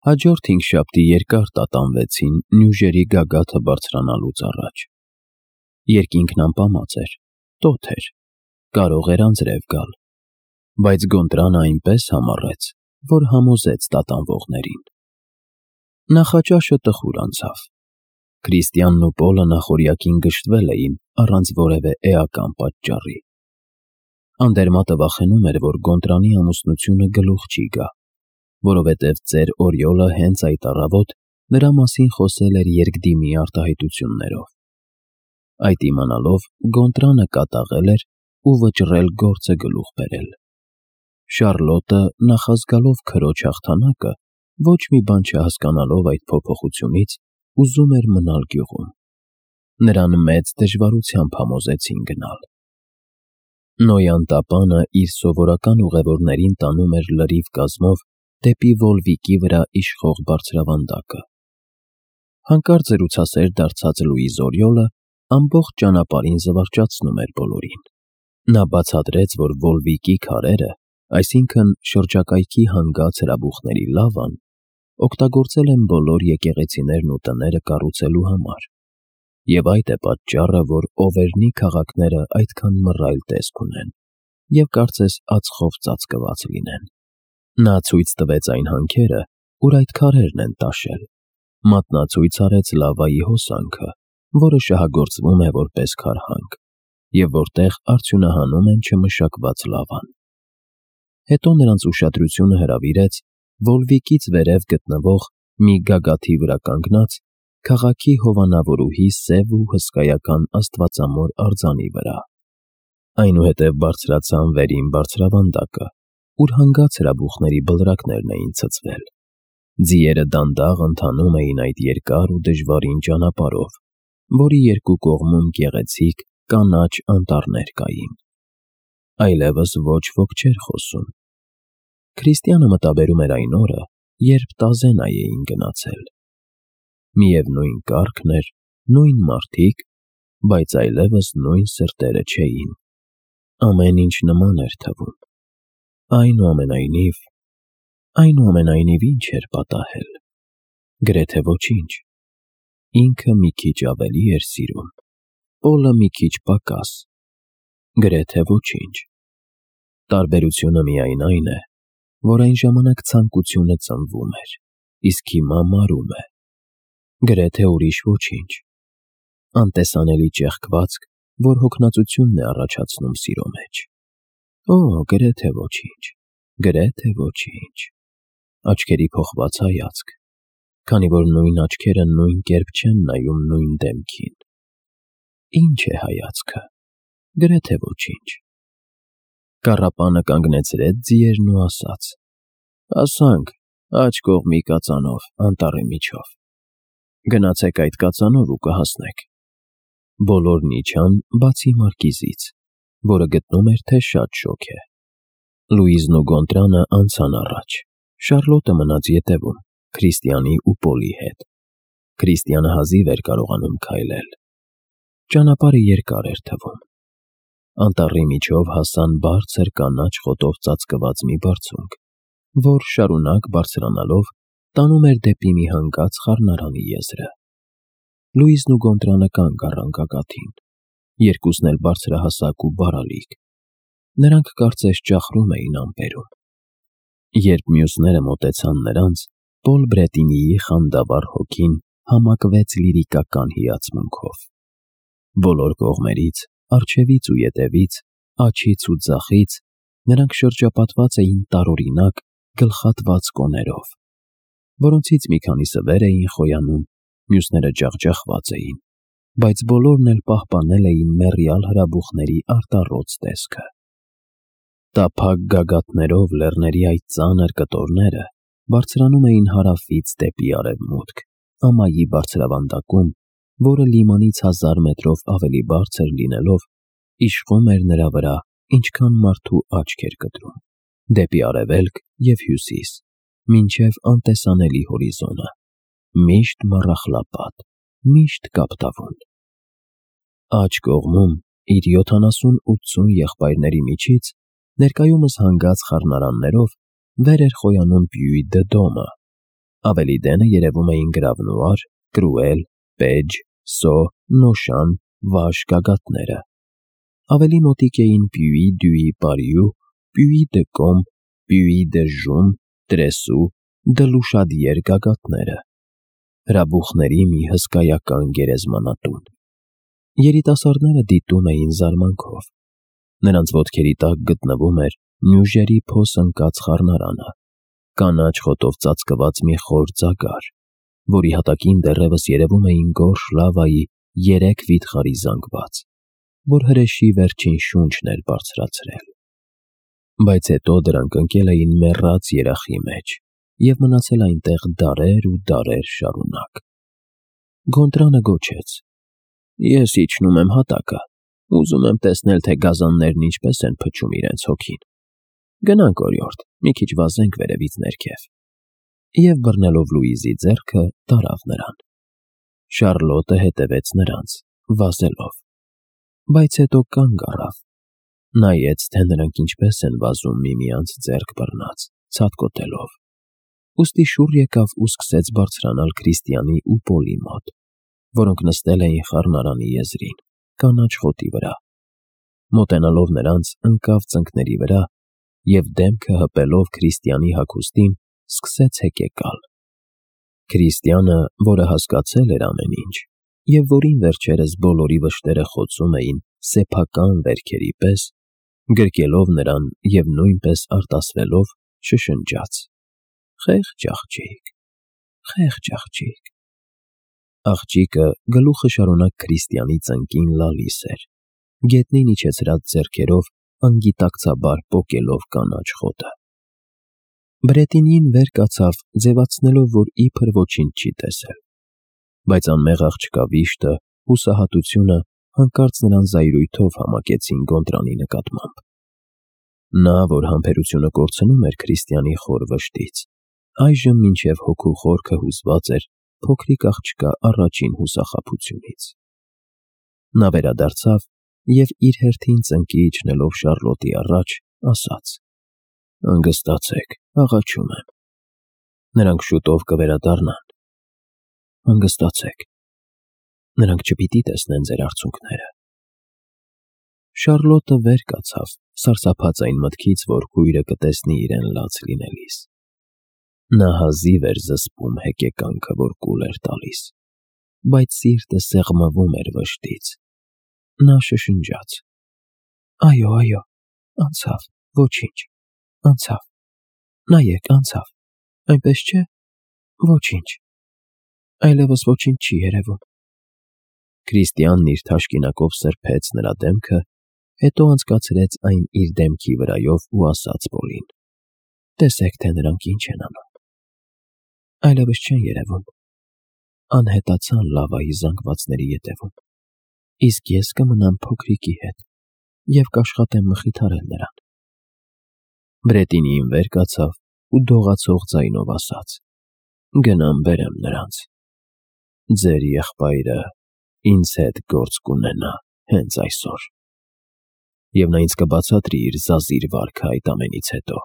Հաջորդ հինգշաբթի երկար տատանվեցին նյուժերի գագաթը բարձրանալուց առաջ։ Երկինքն ամպամած էր, տոթ էր, կարող էր անձրև գալ, բայց Գոնտրանը այնպես համառեց, որ համոզեց տատանվողներին։ Նախաճաշը տխուր անցավ։ Քրիստիանն ու Պոլը նախօրյակին գժտվել էին առանց որևէ էական պատճառի։ Անդերմատը վախենում էր, որ Գոնտրանի ամուսնությունը գլուխ չի գա, որովհետև ծեր Օրիոլը հենց այդ առավոտ նրա մասին խոսել էր երկդիմի արտահայտություններով։ Այդ իմանալով Գոնտրանը կատաղել էր ու վճռել գործը գլուխ բերել։ Շառլոտը, նախազգալով քրոջ հաղթանակը, ոչ մի բան չհասկանալով այդ փոփոխությունից, ուզում էր մնալ գյուղում։ Նրան մեծ դժվարությամբ համոզեցին գնալ։ Նոյան տապանը իր սովորական ուղևորներին տանում էր լրիվ կազմով դեպի Վոլվիկի վրա իշխող բարձրավանդակը։ Հանկարծ զրուցասեր դարձած Լուիզ Օրիոլը ամբողջ ճանապարհին զվարճացնում էր բոլորին։ Նա բացատրեց, որ Վոլվիկի քարերը, այսինքն շրջակայքի հանգած հրաբուխների լավան, օգտագործել են բոլոր եկեղեցիներն ու տները կառուցելու համար, և այդ է պատճառը, որ Օվերնի քաղաքները այդքան մռայլ տեսք ունեն և կարծես ածխով ծածկված լինեն։ Նա ցույց տվեց այն հանքերը, ուր այդ քարերն են տաշել, մատնացույց արեց լավայի հոսանքը, որը շահագործվում է որպես քարհանք, և որտեղ արդյունահանում են չմշակված լավան։ Հետո նրանց ուշադրությունը հրավիրեց Վոլվիկից վերև գտնվող մի գագաթի վրա կանգնած քաղաքի հովանավորուհի սև ու հսկայական աստվածամոր արձանի վրա։ Այնուհետև բարձրացան վերին բարձրավանդակը, ուր հանգած հրաբուխների բլրակներն էին ցցվել։ Ձիերը դանդաղ ընթանում էին այդ երկար ու դժվարին ճանապարհով, որի երկու կողմում գեղեցիկ կանաչ անտառներ կային։ Այլևս ոչ ոք չէր խոսում։ Քրիստիանը մտաբերում էր այն օրը, երբ Տազենայ էին գնացել։ Միևնույն կարգն էր, նույն մարդիկ, բայց այլևս նույն սրտերը չէին։ Ամեն ինչ նման էր թվում։ Այնուամենայնիվ ինչ էր պատահել։ Գրեթե ոչինչ։ Ինքը մի քիչ ավելի էր սիրում, Պոլը մի քիչ պակաս։ Գրեթե ոչինչ։ Տարբերությունը միայն այն է, որ այն ժամանակ ցանկությունը ծնվում էր, իսկ հիմա մարում է։ Գրեթե ուրիշ ոչինչ։ Անտեսանելի ճեղքվածք, որ հոգնածությունն է առաջացնում սիրո մեջ։ Օ, գրեթե ոչինչ, գրեթե ոչինչ։ Աչքերի փոխված հայացք, քանի որ նույն աչքերը նույն կերպ չեն նայում նույն դեմքին։ Ինչ է հայացքը։ Գրեթե ոչինչ։ Կառապանը կանգնեցրեց ձիերն ու ասաց. «Հասանք, աջ կողմի կածանով, անտառի միջով։ Գնացեք այդ կածանով ու կհասնեք»։ Բոլորն իջան, բացի Մարկիզից, որը գտնում էր, թե շատ շոգ է։ Լուիզն ու Գոնտրանը անցան առաջ, Շառլոտը մնաց ետևում, Քրիստիանի ու Պոլի հետ։ Քրիստիանը հազիվ էր կարողանում քայլել։ Ճանապարհը երկար էր թվում։ Անտառի միջով հասան բարձր կանաչ խոտով ծածկված մի բարձունք, որ շարունակ բարձրանալով տանում էր դեպի մի հանգած խառնարանի եզրը։ Լուիզն ու Գոնտրանը կանգ առան գագաթին, երկուսն էլ բարձրահասակ ու բարալիկ։ Նրանք կարծես ճախրում էին ամպերում։ Երբ մյուսները մոտեցան նրանց, Պոլ Բրետինիի խանդավառ հոգին համակվեց լիրիկական հիացմունքով։ Բոլոր կողմերից, առջևից ու ետևից, աջից ու ձախից նրանք շրջապատված էին տարօրինակ գլխատված կոներով, որոնցից մի քանիսը վեր էին խոյանում, մյուսները ջախջախված էին, բայց բոլորն էլ պահպանել էին մեռյալ հրաբուխների արտառոց տեսքը։ Տափակ գագաթներով լեռների այդ ծանր կտորները բարձրանում էին հարավից դեպի արևմուտք, ամայի բարձրավանդակում, որը լիմանից 1000 մետրով ավելի բարձր լինելով, իշխում էր նրա վրա, ինչքան մարդու աչք էր կտրում, դեպի արևելք և հյուսիս, մինչև անտեսանելի հորիզոնը, միշտ մառախլապատ, միշտ կապտավուն։ Աջ կողմում, իր 70-80 եղբայրների միջից, ներկայումս հանգած խառնարաններով, վեր էր խոյանում Պյուի դե Դոմը, Ավելի դենը երևում էին գրավնուար, կրուել, պեջ, սո, նոշան, վաշ գագաթները։ Ավելի մոտիկ էին պյուի, դյուի, պարիու, պյուի դը կոմ, պյուի դը ժում, տրեսու, դլուշադիեր գագաթները։ Հրաբուխների մի հսկայական գերեզմանատուն։ Երիտասարդները դիտում էին զարմանքով։ Նրանց ոտքերի տակ գտնվում էր նյուժերի փոս ընկած խառնարանը, կանաչ խոտով ծածկված մի խոր ծագար, որի հատակին դեռևս երևում էին գորշ լավայի 3 վիթխարի զանգված, որ հրեշի վերջին շունչն էր բարձրացրել։ Բայց հետո դրանք ընկել էին մեռած երախի մեջ և մնացել այնտեղ դարեր ու դարեր շարունակ։ Գոնտրանը գոչեց. «Ես իջնում եմ հատակը, ուզում եմ տեսնել, թե գազաններն ինչպես են փչում իրենց հոգին։ Գնանք, օրիորդ, մի քիչ վազենք վերևից ներքև»։ Եվ բռնելով Լուիզի ձեռքը, տարավ նրան։ Շառլոտը հետևեց նրանց, վազելով, բայց հետո կանգ առավ, նայեց, թե նրանք ինչպես են վազում միմյանց ձեռք բռնած, ցատկոտելով, ուստի շուռ եկավ ու սկսեց բարձրանալ Քրիստիանի ու Պոլի մոտ, որոնք նստել էին խառնարանի եզրին, կանաչ խոտի վրա։ Մոտենալով նրանց, ընկավ ծնկների վրա և դեմքը հպելով Քրիստիանի հագուստին, սկսեց հեկեկալ։ Քրիստիանը, որը հասկացել էր ամեն ինչ, և որին վերջերս բոլորի վշտերը խոցում էին սեփական վերքերի պես, գրկելով նրան և նույնպես արտասվելով, շշնջաց. «Խեղճ աղջիկ, խեղճ աղջիկ»։ Աղջիկը գլուխը շարունակ Քրիստիանի ծնկին լալիս էր, գետնին իջեցրած ձեռքերով անգիտակցաբար պոկելով կանաչ խոտը։ Բրետինին վեր կացավ, ձևացնելով, որ իբր ոչինչ չի տեսել, բայց անմեղ աղջկա վիշտը, հուսահատությունը հանկարծ նրան զայրույթով համակեցին Գոնտրանի նկատմամբ։ Նա, որ համբերությունը կորցնում էր Քրիստիանի խոր վշտից, այժմ մինչև հոգու խորքը հուզված էր փոքրիկ աղջկա առաջին հուսախաբությունից։ Նա վերադարձավ և իր հերթին ծնկի իջնելով Շառլոտի առաջ, ասաց. «Հանգստացեք, աղաչում եմ։ Նրանք շուտով կվերադառնան։ Հանգստացեք։ Նրանք չպիտի տեսնեն ձեր արցունքները»։ Շառլոտը վեր կացավ, սարսափած այն մտքից, որ քույրը կտեսնի իրեն լաց լինելիս։ Նա հազիվ էր զսպում հեկեկանքը, որ կուլ էր տալիս, բայց սիրտը սեղմվում էր վշտից։ Նա շշնջաց. «Այո, այո, անցավ, ոչինչ, անցավ, նայեք, անցավ, այնպես չէ, ոչինչ, այլևս ոչինչ չի երևում»։ Քրիստիանն իր թաշկինակով սրբեց նրա դեմքը, հետո անցկացրեց այն իր դեմքի վրայով ու ասաց Պոլին. «Տեսեք, թե նրանք ինչ են անում։ Այլևս չեն երևում, անհետացան լավայի զանգվածների ետևում, իսկ ես կմնամ փոքրիկի հետ և կաշխատեմ մխիթարել նրան»։ Բրետինին վեր կացավ ու դողացող ձայնով ասաց. «Գնամ բերեմ նրանց։ Ձեր եղբայրը ինձ հետ գործ կունենա հենց այսօր, և նա ինձ կբացատրի իր զազիր վարքը այդ ամենից հետո»։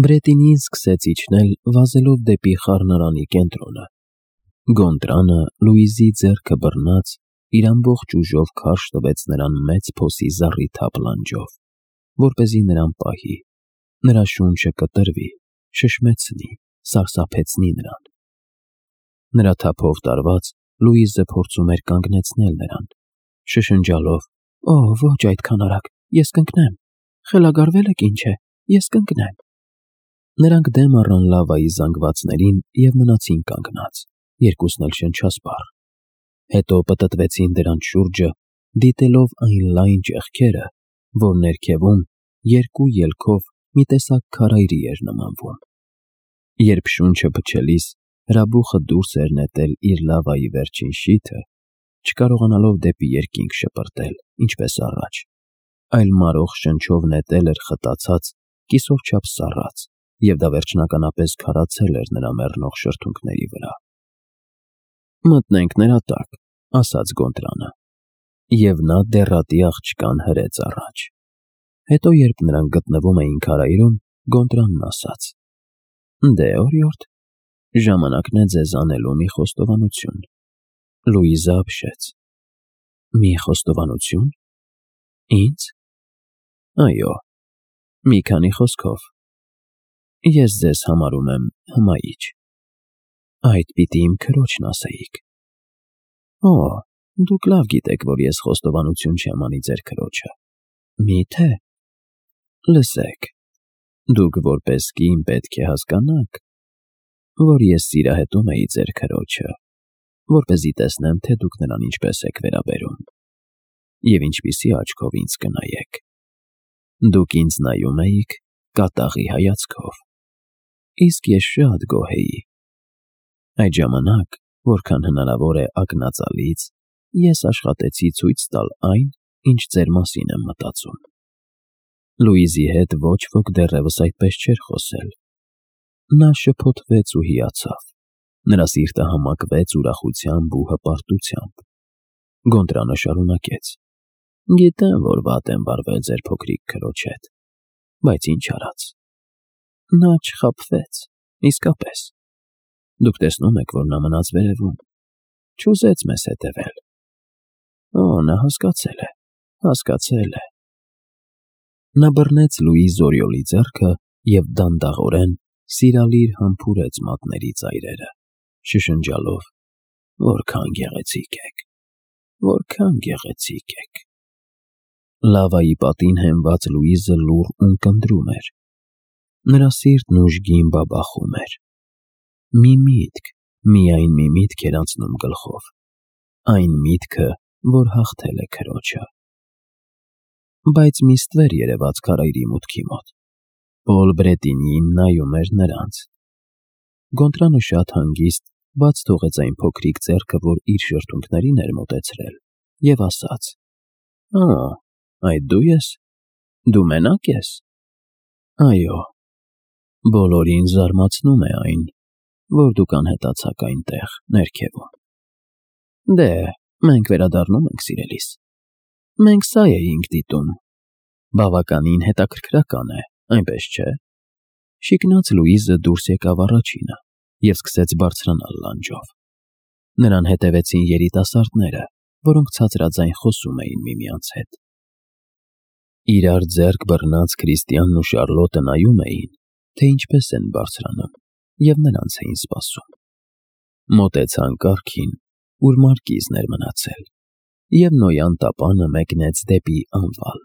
Բրետինին սկսեց իջնել, վազելով դեպի խառնարանի կենտրոնը։ Գոնտրանը, Լուիզի ձեռքը բռնած, իր ամբողջ ուժով քարշ տվեց նրան մեծ փոսի զառիթափ լանջով, որպեսզի նրան պահի, նրա շունչը կտրվի, շշմեցնի, սարսափեցնի նրան։ Նրա թափով տարված, Լուիզը փորձում էր կանգնեցնել նրան, շշնջալով. «Օ, ոչ այդքան արագ, ես կընկնեմ, խելագարվել եք ինչ է, ես կընկնեմ»։ Նրանք դեմ առան լավայի զանգվածներին և մնացին կանգնած, երկուսն էլ շնչասպառ։ Հետո պտտվեցին դրանց շուրջը, դիտելով այն լայն ճեղքերը, որ ներքևում, երկու ելքով մի տեսակ քարայրի էր նմանվում։ Երբ շունչը փչելիս հրաբուխը դուրս էր նետել իր լավայի վերջին շիթը, չկարողանալով դեպի երկինք շպրտել, ինչպես առաջ, այլ մարող շնչով նետել էր խտացած, կիսով չափ սառած, և դա վերջնականապես քարացել էր նրա մեռնող շրթունքների վրա։ «Մտնենք նրա տակ», ասաց Գոնտրանը, և նա դեռատի աղջկան հրեց առաջ։ Հետո, երբ նրանք գտնվում էին քարայրում, Գոնտրանն ասաց. «Դե, օրիորդ, Ժամանակն է ձեզ անելու մի խոստովանություն։ Լուիզը ապշեց։ Մի խոստովանություն։ Ինձ։ Այո, մի քանի խոսքով։ Ես ձեզ համարում եմ հմայիչ։ Այդ պիտի իմ քրոջն ասեիք։ Օ, դուք լավ գիտեք, որ ես խոստովանություն չեմ անի ձեր քրոջը։ Մի՞թե։ Լսեք, դուք որպես կին պետք է հասկանաք, որ ես սիրահետում էի ձեր քրոջը, որպեսզի տեսնեմ, թե դուք նրան ինչպես եք վերաբերում, և ինչպիսի աչքով ինձ կնայեք։ Դուք ինձ նայում էիք կատաղի հայացքով, իսկ ես շատ գոհ էի։ Այդ ժամանակ, որքան հնարավոր է ակնածալից, ես աշխատեցի ցույց տալ այն, ինչ ձեր մասին եմ մտածում։ Լուիզի հետ ոչ ոք դեռևս այդպես չէր խոսել։ Նա շփոթվեց ու հիացավ։ Նրա սիրտը համակվեց ուրախությամբ ու հպարտությամբ։ Գոնտրանը շարունակեց. Գիտեմ, որ վատ եմ վարվել ձեր փոքրիկ քրոջ հետ, բայց ինչ արած։ Նա չխաբվեց, իսկապես։ Դուք տեսնում եք, որ նա մնաց վերևում, չուզեց մեզ հետևել։ Օ, նա հասկացել է։ Նա բռնեց Լուի Զորիոլի ձեռքը և դանդաղորեն սիրալիր համբուրեց մատների ծայրերը, շշնջալով. Որքան գեղեցիկ եք, որքան գեղեցիկ եք։ Լավայի պատին հենված Լուիզը լուռ ունկնդրում էր։ Նրա սիրտն ուժգին բաբախում էր։ Մի միտք, միայն մի միտք էր անցնում գլխով, այն միտքը, որ հաղթել է քրոջը։ Բայց մի ստվեր երևաց քարայրի մուտքի մոտ։ Պոլ Բրետինին նայում էր նրանց։ Գոնտրանը շատ հանգիստ բաց թողեց այն փոքրիկ ձեռքը, որ իր շրթունքներին էր մոտեցրել, և ասաց. Ա, այդ դու ես։ Դու մենակ ես։ Այո։ Բոլորին զարմացնում է այն, որ դուք անհետացաք այնտեղ, ներքևում։ Դե, մենք վերադառնում ենք, սիրելիս։ Մենք սա էինք դիտում։ Բավականին հետաքրքրական է, այնպես չէ։ Շիկնաց Լուիզը դուրս եկավ առաջինը և սկսեց բարձրանալ լանջով։ Նրան հետևեցին երիտասարդները, որոնք ցածրաձայն խոսում էին միմյանց հետ։ Իրար ձեռք բռնած Քրիստիանն ու Շարլոտը նայում էին, թե ինչպես են բարձրանում, և նրանց էին սպասում։ Մոտեցան կառքին, ուր մարկիզն էր մնացել, և Նոյան տապանը մեկնեց դեպի անվալ։